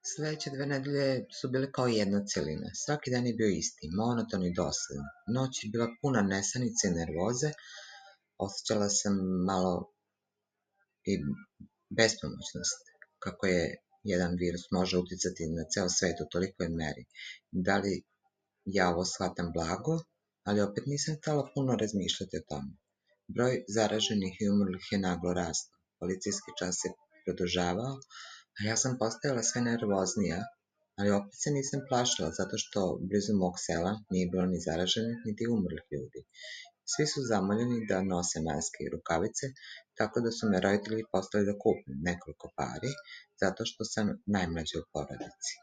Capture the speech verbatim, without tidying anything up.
Sledeće dve nedelje su bile kao jedna celina. Svaki dan je bio isti, monoton i dosadan. Noć je bila puna nesanice i nervoze. Osjećala sam malo i bespomoćnost. Kako je jedan virus može uticati na ceo svet u tolikoj meri. Da li ja ovo shvatam blago, ali opet nisam htela puno razmišljati o tome. Broj zaraženih i umrlih je naglo rastao. Policijski čas se produžavao, a ja sam postajala sve nervoznija, ali opet se nisam plašila zato što blizu mog sela nije bilo ni zaraženih niti umrlih ljudi. Svi su zamoljeni da nose maske i rukavice, tako da su me roditelji poslali da kupim nekoliko pari, zato što sam najmlađa u porodici.